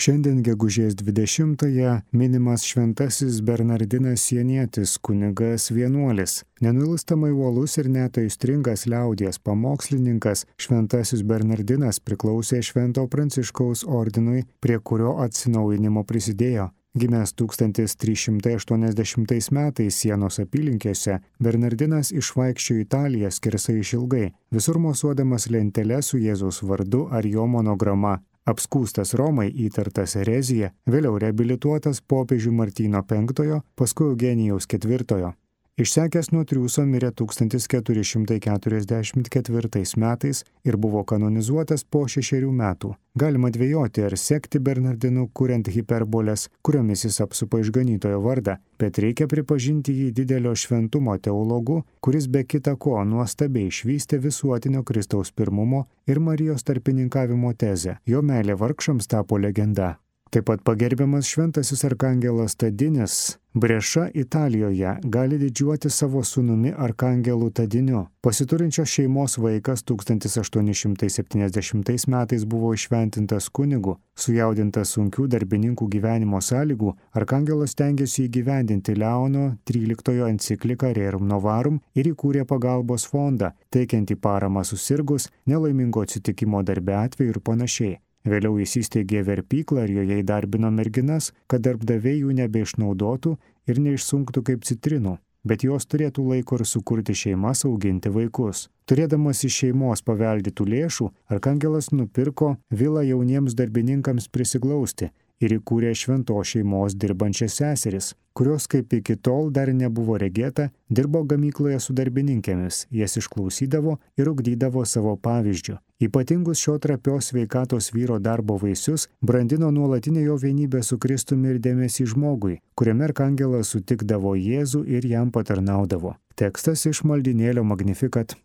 Šiandien gegužės 20-ąją minimas šventasis Bernardinas Sienietis, kunigas vienuolis. Nenuilstamai uolus ir net aistringas liaudies pamokslininkas šventasis Bernardinas priklausė Švento Pranciškaus ordinui, prie kurio atsinaujinimo prisidėjo. Gimęs 1380 metais Sienos apylinkėse, Bernardinas išvaikščiojo Italiją skersai išilgai, visur mosuodamas lenteles su Jėzaus vardu ar jo monograma. Apskūstas Romai, įtartas erezija, vėliau reabilituotas popiežių Martyno V, paskui Eugenijaus IV. Išsekęs nuo triūso mirė 1444 metais ir buvo kanonizuotas po 6 metų. Galima dvejoti, ar sekti Bernardinu, kuriant hiperboles, kuriomis jis apsupa išganytojo vardą, bet reikia pripažinti jį didelio šventumo teologu, kuris be kita ko nuostabiai išvystė visuotinio Kristaus pirmumo ir Marijos tarpininkavimo tezę. Jo meilė vargšams tapo legenda. Taip pat pagerbiamas šventasis arkangelas Tadinis, Breša Italijoje, gali didžiuoti savo sūnumi arkangelu Tadiniu. Pasiturinčios šeimos vaikas 1870 metais buvo įšventintas kunigu. Sujaudintas sunkių darbininkų gyvenimo sąlygų, arkangelas stengiasi įgyvendinti Leono XIII encikliką Rerum Novarum ir įkūrė pagalbos fondą, teikiantį paramą susirgus, nelaimingo atsitikimo darbe atveju ir panašiai. Vėliau jis įsteigė verpyklą ir joje įdarbino merginas, kad darbdaviai jų nebeišnaudotų ir neišsunktų kaip citrinų, bet jos turėtų laiko ir sukurti šeimas, auginti vaikus. Turėdamas iš šeimos paveldėtų lėšų, arkangelas nupirko vilą jauniems darbininkams prisiglausti ir įkūrė šventos šeimos dirbančias seseris, kurios kaip iki tol dar nebuvo regėta, dirbo gamykloje su darbininkėmis, jas išklausydavo ir ugdydavo savo pavyzdžiu. Ypatingus šio trapios sveikatos vyro darbo vaisius brandino nuolatinė jo vienybė su Kristumi ir dėmesį žmogui, kuriame arkangelas sutikdavo Jėzų ir jam patarnaudavo. Tekstas iš maldynėlio Magnificat.